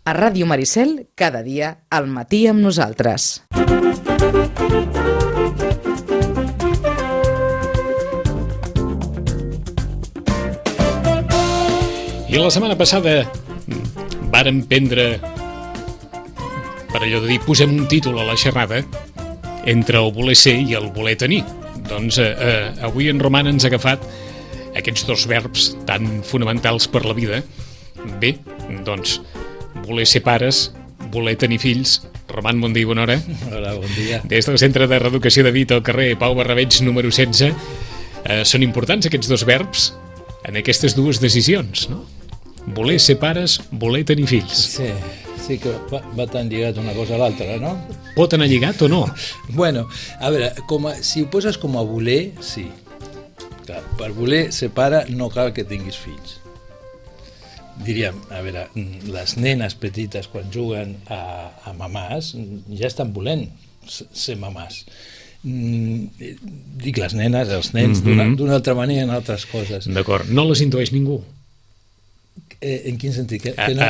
A Ràdio Maricel, cada dia, al matí amb nosaltres. I la setmana passada vàrem prendre, per allò de dir, posem un títol a la xerrada entre el voler ser i el voler tenir. Doncs avui en Roman ens ha agafat aquests dos verbs tan fonamentals per la vida. Bé, doncs, voler ser pares, voler tenir fills. Roman, bon dia i bona hora. Hola, bon dia. Des del Centre de Reeducació de Vita, al carrer Pau Barrabeig, número 16. Són importants aquests dos verbs en aquestes dues decisions, no? Voler ser pares, voler tenir fills. Sí que va tan lligat una cosa a l'altra, no? Pot anar lligat o no? Bueno, a veure, si ho poses com a voler, sí. Clar, per voler ser pare no cal que tinguis fills. Diríem, a veure, les nenes petites quan juguen a mamàs ja estan volent ser mamàs. Dic les nenes, els nens, d'una altra manera en altres coses. D'acord, no les intueix ningú. En quin sentit? Que no?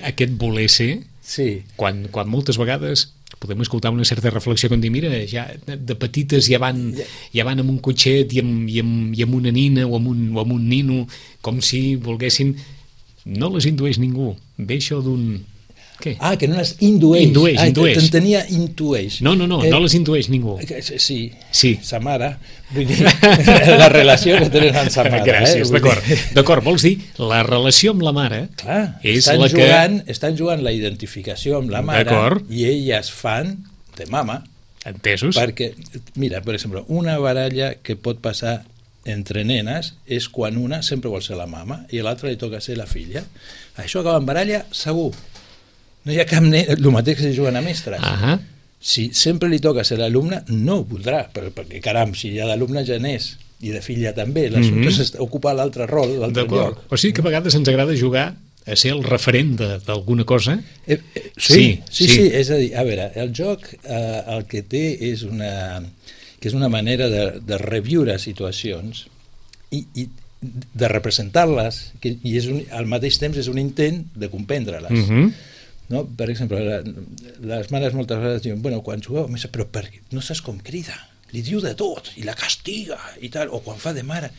Aquest voler ser, sí. Quan moltes vegades podem escoltar una certa reflexió com dir, mira, ja de petites ja van amb un cotxet i amb una nina o amb un nino, com si volguessin. No les intueix ningú. Ve això d'un... Què? Ah, que no les indueix. Indueix. T'entenia intueix. No les intueix ningú. Sí. Sa mare. Vull dir, la relació que tenen amb sa mare. Gràcies, d'acord. Vols dir, la relació amb la mare... Clar, és estan jugant la identificació amb la mare. D'acord. I elles fan de mama. Entesos. Perquè, mira, per exemple, una baralla que pot passar entre nenes és quan una sempre vol ser la mama i a l'altra li toca ser la filla. Això acaba en baralla segur. No hi ha cap nen, el mateix que si juguen a mestres. Si sempre li toca ser l'alumne, no ho voldrà, perquè caram, si hi ha d'alumne ja n'és, i de filla també, l'assumpte és ocupar l'altre rol, l'altre lloc. O sigui que a vegades ens agrada jugar a ser el referent d'alguna cosa? Sí, és a dir, a veure, el joc el que té és una manera de reviure situacions i de representar-les, i al mateix temps és un intent de comprendre-les. No? Per exemple, les mares moltes vegades diuen, bueno, quan jugueu, però no saps com crida, li diu de tot i la castiga i tal, o quan fa de mare,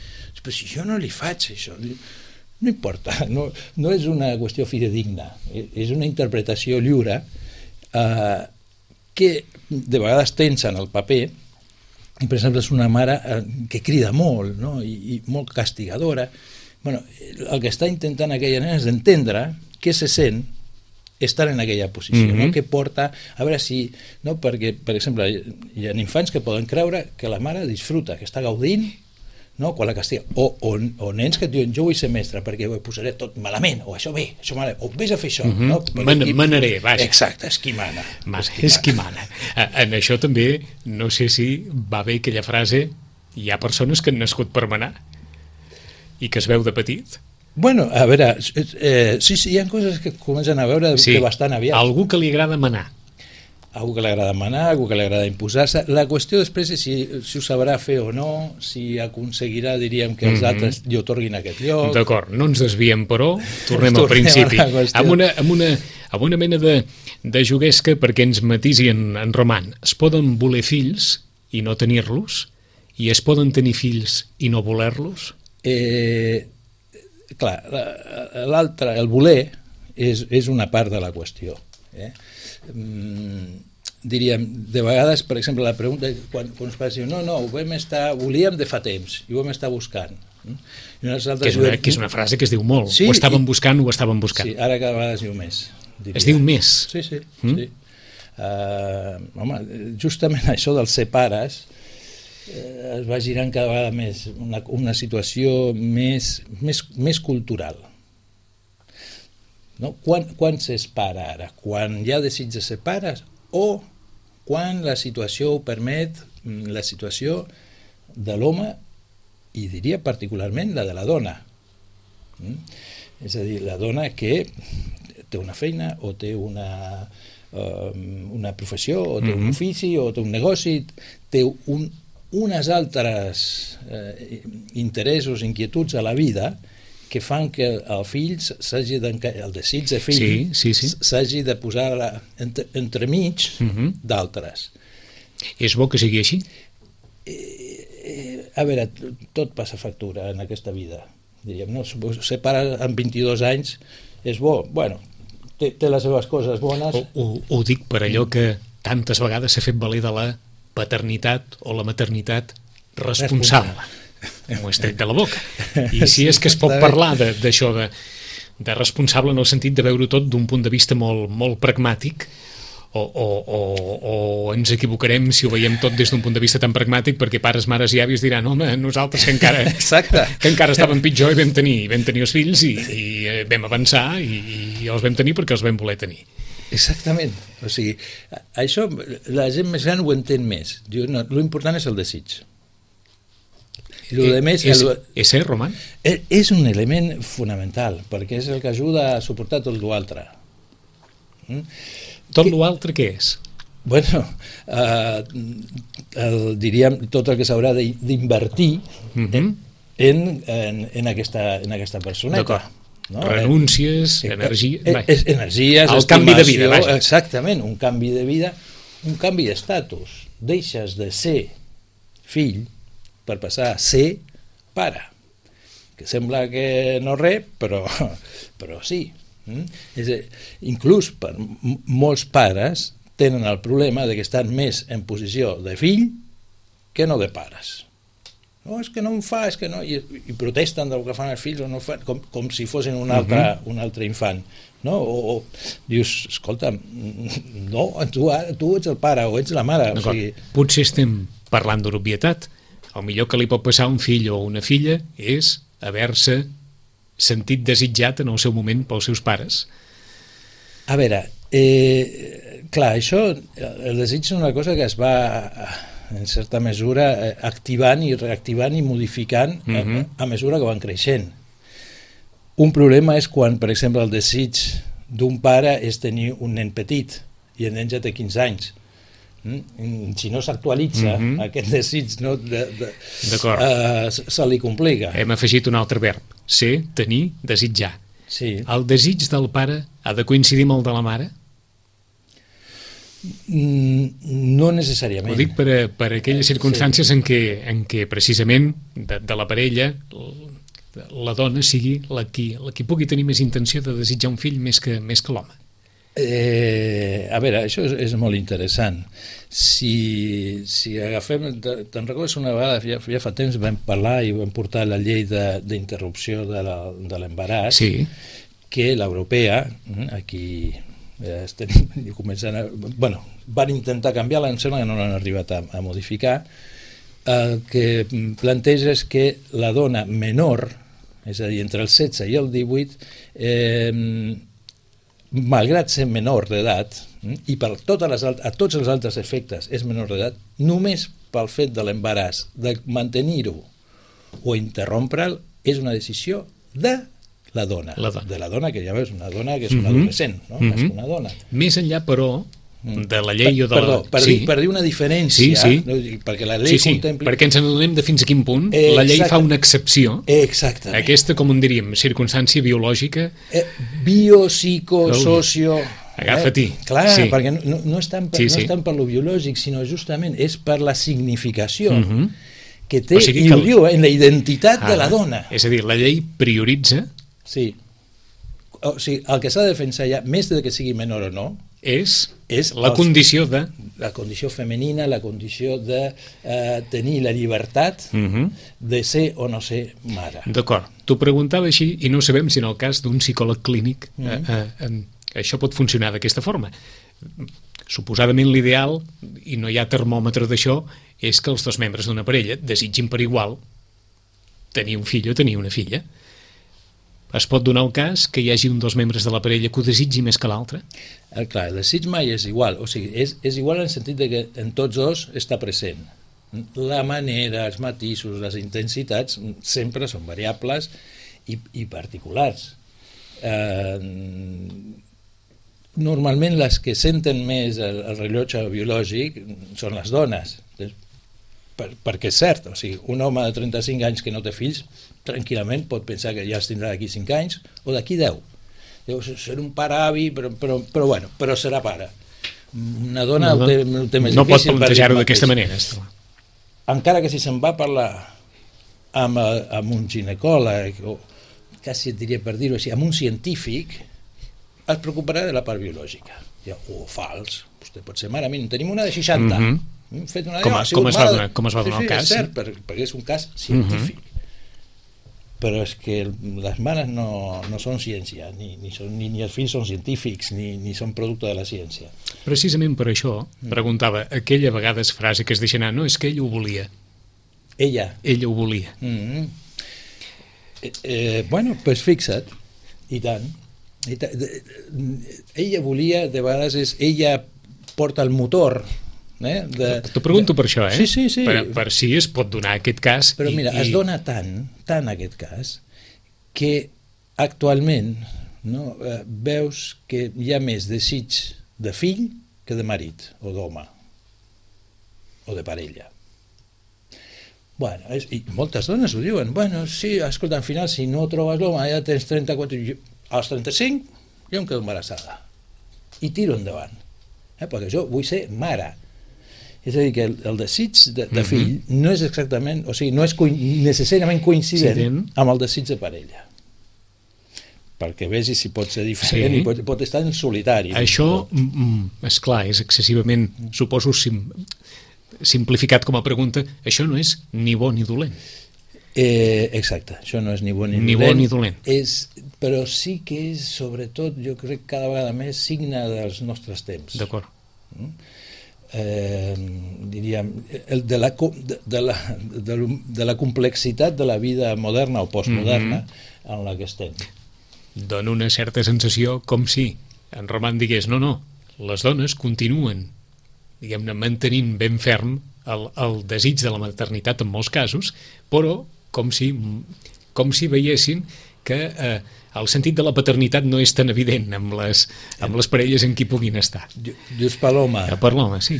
però si jo no li faig això, no importa, no és una qüestió fidedigna, és una interpretació lliure que de vegades tensen el paper. I, per exemple, és una mare que crida molt, no? I molt castigadora. Bueno, el que està intentant aquella nena és d'entendre què se sent estar en aquella posició, no? Que porta, a veure si, no? Perquè, per exemple, hi ha infants que poden creure que la mare disfruta, que està gaudint, no? Quan la castiga, o nens que diuen, jo vull ser mestre perquè ho posaré tot malament, o això bé, això malament, o vés a fer això, no? Manaré, vaja. Exacte, és qui mana. És qui mana. En això també, no sé si va bé aquella frase, hi ha persones que han nascut per manar i que es veu de petit. Bueno, a veure, sí, hi ha coses que comencen a veure que bastant aviat. Algú que li agrada manar. Algú que li agrada manar, algú que li agrada imposar-se. La qüestió després és si ho sabrà fer o no, si aconseguirà, diríem, que els altres li otorguin aquest lloc. D'acord, no ens desviem, però tornem al principi. Amb una mena de juguesca perquè ens matisi en Roman. Es poden voler fills i no tenir-los? I es poden tenir fills i no voler-los? Clar, l'altre, el voler, és una part de la qüestió. Diríem, de vegades, per exemple, la pregunta, quan uns pares diuen, no, volíem de fa temps, i ho vam estar buscant. Que és una frase que es diu molt. Sí, ho estàvem buscant. Sí, ara cada vegada es diu més. Es diu més? Sí. Home, justament això dels ser pares es va girant cada vegada més una situació més cultural. No? Quan s'és pare ara? Quan hi ha desig de ser pares o quan la situació ho permet, la situació de l'home i diria particularment la de la dona. És a dir, la dona que té una feina o té una professió o té un ofici o té un negoci, té unes altres interessos, inquietuds a la vida que fan que el fill s'hagi el desig de fill s'hagi de posar entremig d'altres. És bo que sigui així? A veure, tot passa factura en aquesta vida, diríem, no? Ser pare amb 22 anys és bo, bueno, té les seves coses bones. Ho dic per allò que tantes vegades s'ha fet valer de la paternitat o la maternitat responsable. M'ho he tret de la boca. I si és que es pot parlar d'això, de responsable en el sentit de veure tot d'un punt de vista molt, molt pragmàtic, o ens equivocarem si ho veiem tot des d'un punt de vista tan pragmàtic, perquè pares, mares i avis diran, home, nosaltres que encara estàvem pitjor i vam tenir els fills i vam avançar i els vam tenir perquè els vam voler tenir. Exactament. O sigui, això la gent més gran ho entén més. L'important és el desig. És cert, Roman? És un element fonamental, perquè és el que ajuda a suportar tot l'altre. Tot l'altre què és? Bueno, diríem tot el que s'haurà d'invertir en aquesta personeta. D'acord. Renúncies, energia... Energies, el canvi de vida, vaja. Exactament, un canvi de vida, un canvi d'estatus. Deixes de ser fill per passar a ser pare, que sembla que no res, però sí. Inclús per molts pares tenen el problema de que estan més en posició de fill que no de pares. No, és que no em fa, és que no, i protesten del que fan els fills o no fan, com si fossin un altre infant. No? O dius, escolta, no, tu ets el pare o ets la mare. O sigui... Potser estem parlant d'obvietat. El millor que li pot passar a un fill o una filla és haver-se sentit desitjat en el seu moment pels seus pares. A veure, clar, això, el desig és una cosa que es va, en certa mesura, activant i reactivant i modificant a mesura que van creixent. Un problema és quan, per exemple, el desig d'un pare és tenir un nen petit i el nen ja té 15 anys. Si no s'actualitza aquest desig se li complica. Hem afegit un altre verb, ser, tenir, desitjar. Sí. El desig del pare ha de coincidir amb el de la mare? No necessàriament. Ho dic per aquelles circumstàncies en què precisament de la parella la dona sigui la qui pugui tenir més intenció de desitjar un fill més que l'home. A veure, això és molt interessant. Si agafem, te'n recordes una vegada, ja fa temps vam parlar i vam portar la llei d'interrupció de l'embaràs, que l'europea, aquí estem començant van intentar canviar-la, em sembla que no l'han arribat a modificar. El que planteja és que la dona menor, és a dir, entre els 16 i el 18, malgrat ser menor d'edat, i per a tots els altres efectes és menor d'edat, només pel fet de l'embaràs, de mantenir-ho o interrompre'l, és una decisió de la dona. De la dona, que ja veus, una dona que és una adolescent, no? És una dona. Més enllà, però, de la llei o de la... Per dir una diferència, perquè la llei contempla... perquè ens n'adonem de fins a quin punt la llei fa una excepció. Exactament. Aquesta, com en diríem, circumstància biològica... Bio, psico, socio... Agafa-t'hi. Clar, perquè no és tant per lo biològic, sinó justament és per la significació que té en la identitat de la dona. És a dir, la llei prioritza... Sí. O sigui, el que s'ha de defensar ja, més de que sigui menor o no, és la condició de... La condició femenina, la condició de tenir la llibertat de ser o no ser mare. D'acord. T'ho preguntava així i no sabem si en el cas d'un psicòleg clínic això pot funcionar d'aquesta forma. Suposadament l'ideal, i no hi ha termòmetre d'això, és que els dos membres d'una parella desitgin per igual tenir un fill o tenir una filla. Es pot donar el cas que hi hagi un dels membres de la parella que ho desitgi més que l'altre? Clar, el desig mai és igual. O sigui, és igual en el sentit de que en tots dos està present. La manera, els matisos, les intensitats sempre són variables i particulars. Normalment les que senten més el rellotge biològic són les dones. perquè és cert, o sigui, un home de 35 anys que no té fills, tranquil·lament pot pensar que ja els tindrà d'aquí 5 anys o d'aquí 10. Deu ser un pare avi, però serà pare. Una dona ho té més difícil. No pot plantejar-ho d'aquesta manera. Encara que si se'n va parlar amb un ginecòleg, o quasi et diria per dir-ho així, amb un científic, es preocuparà de la part biològica. O fals, vostè pot ser mare, tenim una de 60, fet una com es va donar el cas? És cert, perquè és un cas científic. Però és que les mares no són ciència, ni els fills són científics, ni són producte de la ciència. Precisament per això preguntava aquella vegades frase que es deixa anar, no, és que ella ho volia. Ella ho volia. Bueno, doncs fixa't, i tant. Ella volia, de vegades ella porta el motor. T'ho pregunto per això, Sí. Per si es pot donar aquest cas. Però mira, es dona tant aquest cas, que actualment veus que hi ha més desig de fill que de marit, o d'home, o de parella. Bueno, i moltes dones ho diuen, sí, escolta, al final, si no trobes l'home, ja tens 34, als 35 jo em quedo embarassada, i tiro endavant, perquè jo vull ser mare. És a dir, que el desig de fill no és exactament, o sigui, no és necessàriament coincident amb el desig de parella. Perquè vegi si pot ser diferent i pot estar en solitari. Això, esclar, és excessivament, suposo, simplificat com a pregunta, això no és ni bo ni dolent. Exacte, això no és ni bo ni dolent. Però sí que és, sobretot, jo crec cada vegada més signe dels nostres temps. D'acord. Diríem, de la complexitat de la vida moderna o postmoderna en la que estem. Dona una certa sensació com si en Roman digués, no, les dones continuen, diguem-ne, mantenint ben ferm el desig de la maternitat en molts casos, però com si veiessin que el sentit de la paternitat no és tan evident amb les parelles en qui puguin estar. Dius per l'home. Per l'home, sí.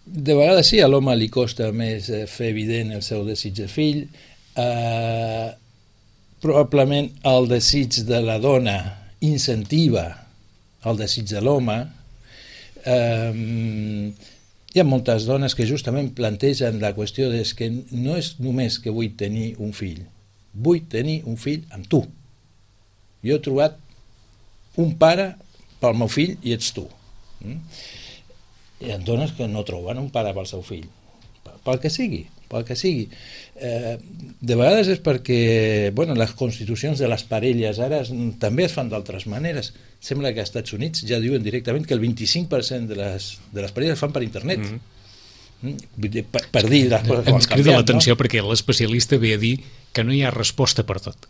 De vegades sí, a l'home li costa més fer evident el seu desig de fill. Probablement el desig de la dona incentiva el desig de l'home. Hi ha moltes dones que justament plantegen la qüestió de que no és només que vull tenir un fill, vull tenir un fill amb tu. Jo he trobat un pare pel meu fill i ets tu. Hi ha dones que no troben un pare pel seu fill, pel que sigui. De vegades és perquè les constitucions de les parelles ara també es fan d'altres maneres. Sembla que als Estats Units ja diuen directament que el 25% de les parelles es fan per internet. Per dir les coses com ens crida l'atenció perquè l'especialista ve a dir que no hi ha resposta per tot.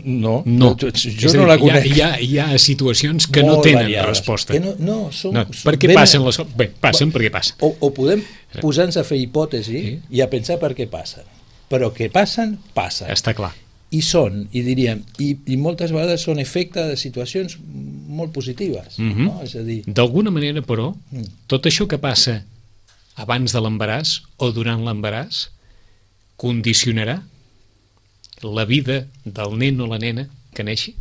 No, jo no la conec. Hi ha situacions que no tenen resposta. Per què passen les coses? Bé, passen perquè passen. O podem posar-nos a fer hipòtesi i a pensar per què passen. Però que passen. Està clar. I són, i diríem, i moltes vegades són efecte de situacions molt positives. És a dir... D'alguna manera, però, tot això que passa abans de l'embaràs o durant l'embaràs condicionarà la vida del nen o la nena que neixi?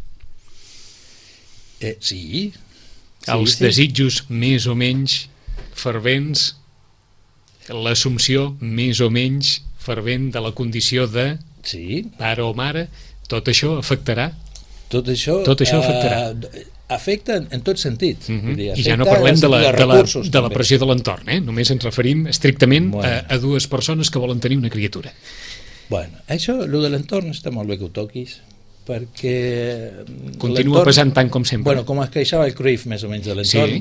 Sí. Els desitjos més o menys fervents, l'assumpció més o menys fervent de la condició de pare o mare, tot això afectarà? Tot això afectarà. Afecta en tot sentit. I ja no parlem de la pressió de l'entorn, només ens referim estrictament a dues persones que volen tenir una criatura. Bueno, això, el de l'entorn, està molt bé que ho toquis, perquè... Continua pesant tant com sempre. Bueno, com es queixava el Cruyff, més o menys, de l'entorn,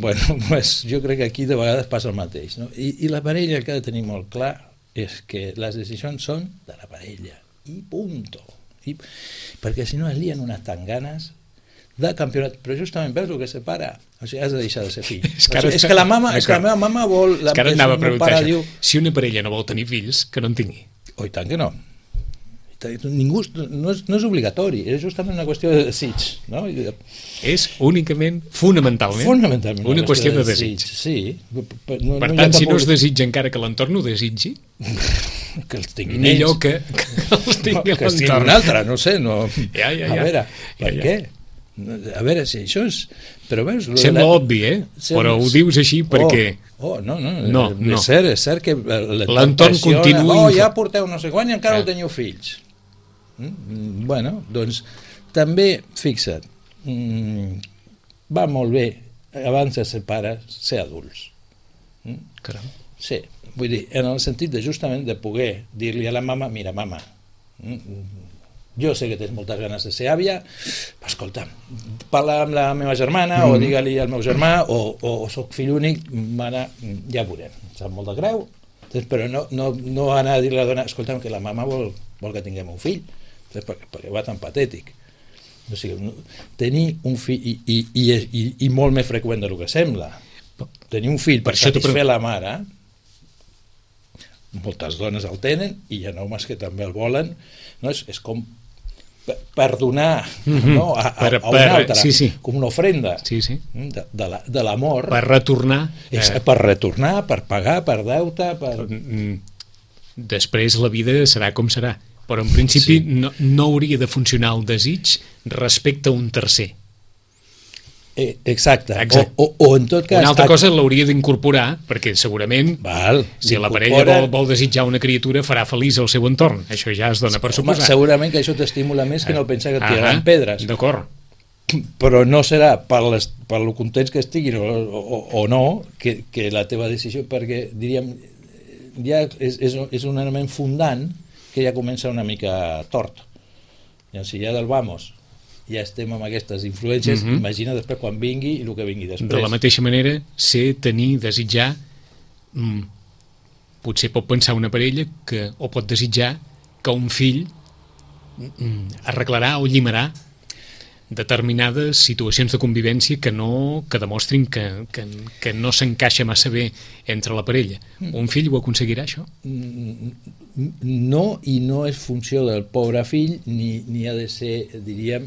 jo crec que aquí de vegades passa el mateix. I la parella, el que ha de tenir molt clar és que les decisions són de la parella, i punto. Perquè si no es lien unes tanganes de campionat, però justament veus el que separa, o sigui, has de deixar de ser fill. És que la meva mama vol... És que ara anava a preguntar això. Si una parella no vol tenir fills, que no en tingui. I tant que no. ningú, no és obligatori, és justament una qüestió de desig, no? És únicament, fonamentalment una qüestió de desig. Sí. Per tant, si no es desitja encara que l'entorn ho desitgi, que els tinguin millor ells. que els tingui que els tingui l'entorn. un altre, no sé, no. Ja. A veure, per què? A veure, si això és... Però veus... Sembla obvi, però ho dius així perquè... No. És cert que l'entorn continua... ja porteu no sé quan i encara no teniu fills. Bueno, doncs també, fixa't, va molt bé abans de ser pares ser adults. Caram. Sí, vull dir, en el sentit de justament de poder dir-li a la mama, mira mama, jo sé que tens moltes ganes de ser àvia, escolta, parla amb la meva germana o digue-li al meu germà o soc fill únic, mare, ja veurem, em sap molt de greu, però no anar a dir-li a la dona, escolta, que la mama vol que tinguem un fill, perquè va tan patètic. O sigui, tenir un fill i molt més freqüent del que sembla, tenir un fill per satisfer la mare, moltes dones el tenen i hi ha homes que també el volen, no? És com per donar a un altre, com una ofrenda de l'amor, per retornar, per pagar, per deute, després la vida serà com serà, però en principi no hauria de funcionar el desig respecte a un tercer. Exacte. O en tot cas... Una altra cosa l'hauria d'incorporar, perquè segurament si la parella vol desitjar una criatura farà feliç el seu entorn. Això ja es dona per suposar. Segurament que això t'estimula més que no pensar que et tiraran pedres. D'acord. Però no serà per lo contents que estiguin o no que la teva decisió, perquè diríem ja és un element fundant que ja comença una mica tort. I si ja del vamos ja estem amb aquestes influències, imagina després quan vingui i el que vingui després. De la mateixa manera, desitjar, potser pot pensar una parella o pot desitjar que un fill arreglarà o llimarà determinades situacions de convivència que demostrin que no s'encaixa massa bé entre la parella. Un fill ho aconseguirà, això? No, i no és funció del pobre fill, ni ha de ser, diríem,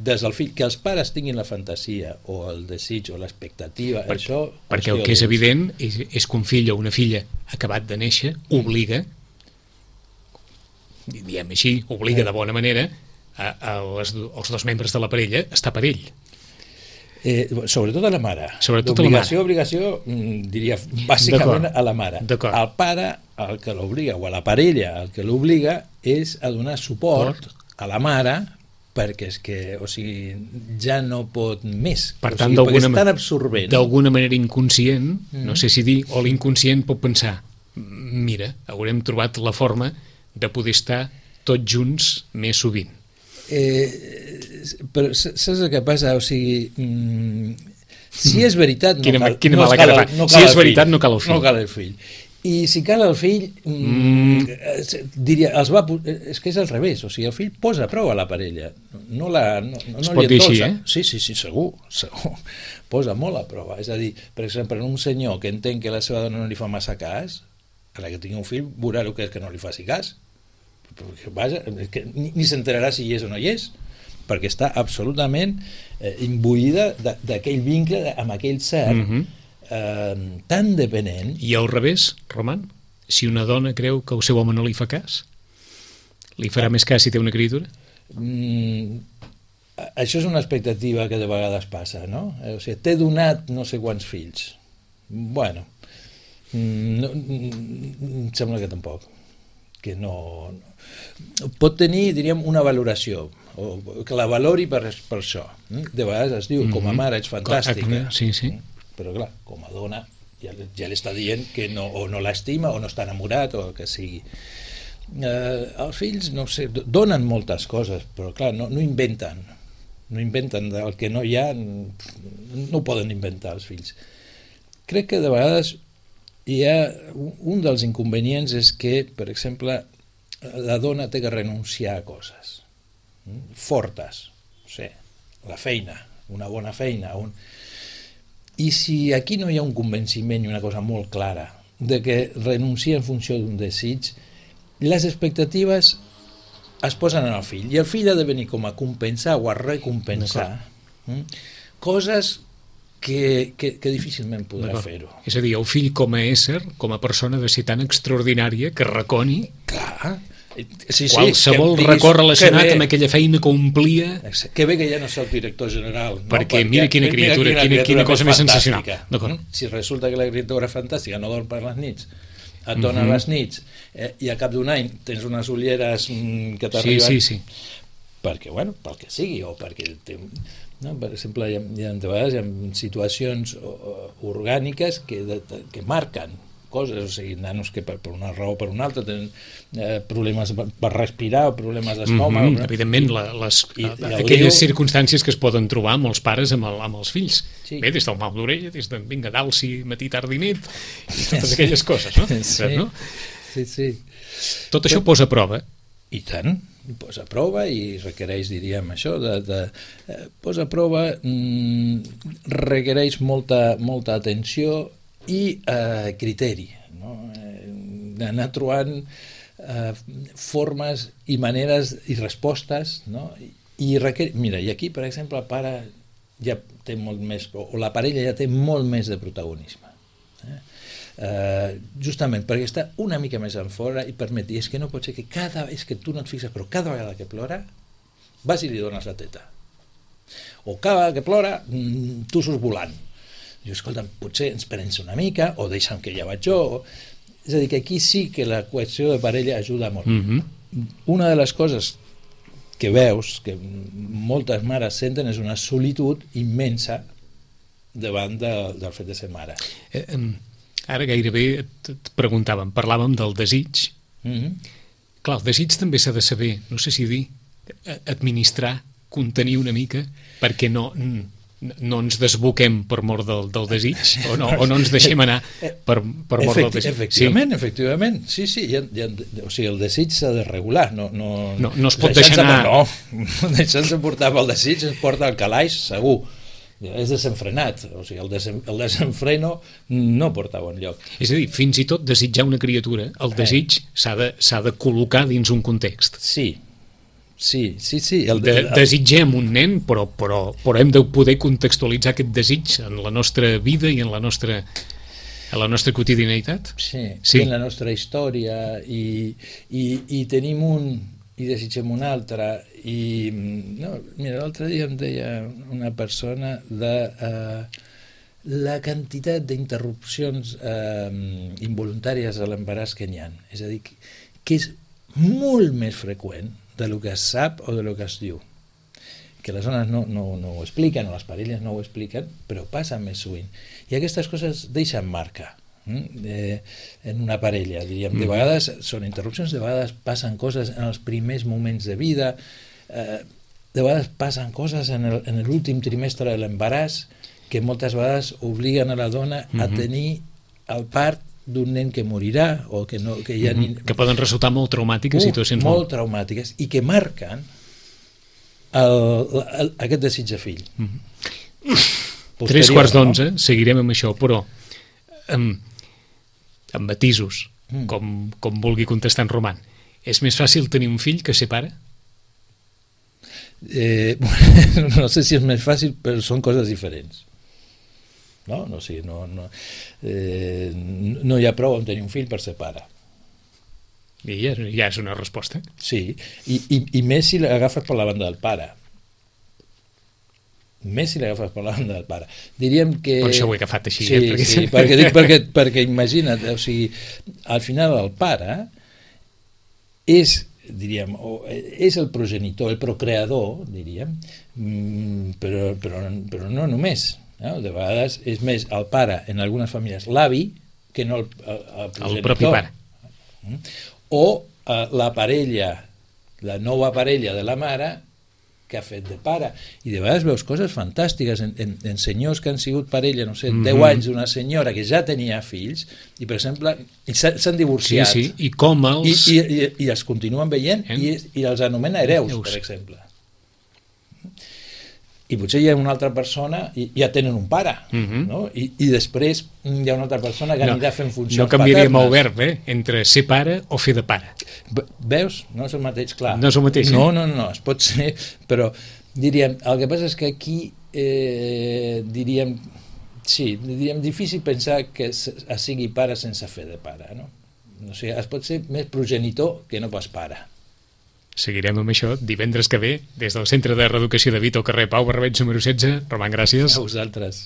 des del fill, que els pares tinguin la fantasia o el desig o l'expectativa, això... Perquè el que és evident és que un fill o una filla acabat de néixer obliga, diem així, obliga de bona manera els dos membres de la parella a estar per ell. Sobretot a la mare. Obligació, diria, bàsicament a la mare. El pare, el que l'obliga, o a la parella, el que l'obliga és a donar suport a la mare, perquè és que, o sigui, ja no pot més. Per tant, perquè és tan absorbent. D'alguna manera inconscient, no sé si dir, o l'inconscient pot pensar, mira, haurem trobat la forma de poder estar tots junts més sovint. Però saps el que passa? O sigui, si és veritat, si és veritat, no cal el fill. No cal el fill. I si cal el fill, diria, és que és al revés, o sigui, el fill posa prou a la parella, no es pot dir així, Sí, segur, posa molt a prova. És a dir, per exemple, un senyor que entén que la seva dona no li fa massa cas, a la que tingui un fill, veurà el que és que no li faci cas. Vaja, que ni s'enterarà si hi és o no hi és, perquè està absolutament imbuïda d'aquell vincle amb aquell ser tan dependent. I al revés, Roman, si una dona creu que el seu home no li fa cas, li farà més cas si té una criatura? Això és una expectativa que de vegades passa, no? O sigui, t'he donat no sé quants fills. Bueno, em sembla que tampoc. Que no... Pot tenir, diríem, una valoració, o que la valori per això. De vegades es diu, com a mare ets fantàstica. Sí. Però clar, com a dona ja li està dient que o no l'estima o no està enamorat o el que sigui. Els fills, no sé, donen moltes coses, però clar, no inventen del que no hi ha, no ho poden inventar els fills. Crec que de vegades hi ha un dels inconvenients és que, per exemple, la dona té que renunciar a coses fortes, no sé, la feina, una bona feina, i si aquí no hi ha un convenciment i una cosa molt clara de que renuncia en funció d'un desig, les expectatives es posen en el fill, i el fill ha de venir com a compensar o a recompensar coses que difícilment podrà fer-ho. És a dir, el fill com a ésser, com a persona de ser tan extraordinària que reconi qualsevol record relacionat amb aquella feina que omplia. Que bé que ja no és el director general. Perquè mira quina criatura, quina cosa més sensacional. Si resulta que la criatura fantàstica no dorm per les nits, et dona les nits, i al cap d'un any tens unes ulleres que t'arriben perquè, bueno, pel que sigui, o perquè per exemple, hi ha situacions orgàniques que marquen coses, o sigui, nanos que per una raó o per una altra tenen problemes per respirar o problemes d'estómac. Evidentment, aquelles circumstàncies que es poden trobar amb els pares amb els fills. Bé, des del mal d'orella, des de vinga d'alci, matí, tard i nit, i totes aquelles coses, no? Sí. Tot això posa a prova. I tant, posa a prova i requereix, diríem, això, posa a prova, requereix molta atenció i criteri, no? D'anar trobant formes i maneres i respostes, no? Mira, i aquí, per exemple, el pare ja té molt més, o la parella ja té molt més de protagonisme, justament perquè està una mica més en fora i permet dir, és que no pot ser que és que tu no et fixes, però cada vegada que plora vas i li dones la teta, o cada vegada que plora tu surts volant. Jo, escolta, potser ens prens una mica, o deixa'm que ja vaig jo. És a dir, que aquí sí que la qüestió de parella ajuda molt. Una de les coses que veus, que moltes mares senten, és una solitud immensa davant del fet de ser mare. Ara gairebé et preguntàvem, parlàvem del desig. Clar, el desig també s'ha de saber, no sé si dir, administrar, contenir una mica, perquè no ens desboquem per mort del desig, o no ens deixem anar per mort del desig. Efectivament. Sí. O sigui, el desig s'ha de regular. No es pot deixar anar. No, deixant-se portar pel desig es porta al calaix, segur. És desenfrenat. O sigui, el desenfreno no porta a bon lloc. És a dir, fins i tot desitjar una criatura, el desig s'ha de col·locar dins un context. Sí. Desitgem un nen, però hem de poder contextualitzar aquest desig en la nostra vida i en la nostra quotidianitat. Sí, en la nostra història, i tenim un i desitgem un altre. Mira, l'altre dia em deia una persona de la quantitat d'interrupcions involuntàries a l'embaràs que n'hi ha. És a dir, que és molt més freqüent del que es sap o del que es diu, que les dones no ho expliquen, o les parelles no ho expliquen, però passa més sovint, i aquestes coses deixen marca en una parella, diríem. De vegades són interrupcions, de vegades passen coses en els primers moments de vida, de vegades passen coses en l'últim trimestre de l'embaràs, que moltes vegades obliguen a la dona a tenir el part d'un nen que morirà, o que que poden resultar molt traumàtiques, situacions molt traumàtiques, i que marquen aquest desig de fill. 11:03, seguirem amb això, però amb matisos, com vulgui contestar en Roman. És més fàcil tenir un fill que ser pare? No sé si és més fàcil, però són coses diferents. No hi ha prou en tenir un fill per ser pare. I ja és una resposta. Sí, i més si l'agafes per la banda del pare. Diríem que... Per això ho he agafat així. Sí, perquè imagina't, o sigui, al final el pare és, diríem, és el progenitor, el procreador, diríem, però no només. No? De vegades és més el pare, en algunes famílies, l'avi, que no el progenitor. El propi pare. O la parella, la nova parella de la mare, que ha fet de pare. I de vegades veus coses fantàstiques en senyors que han sigut parella, no sé, 10 anys d'una senyora que ja tenia fills, i per exemple, s'han divorciat. Sí, i com els... I els continuen veient, i els anomena hereus, per exemple. i potser hi ha una altra persona i ja tenen un pare, no? I després hi ha una altra persona que anirà fent funcions paternes. No canviaríem el verb, entre ser pare o fer de pare. Veus? No és el mateix, clar. No és el mateix, No, es pot ser, però diríem, el que passa és que aquí diríem difícil pensar que es sigui pare sense fer de pare, no? O sigui, es pot ser més progenitor que no pas pare. Seguirem amb això divendres que ve des del Centre de Reeducació de Vito, carrer Pau Barberets número 16. Roman, gràcies. A vosaltres.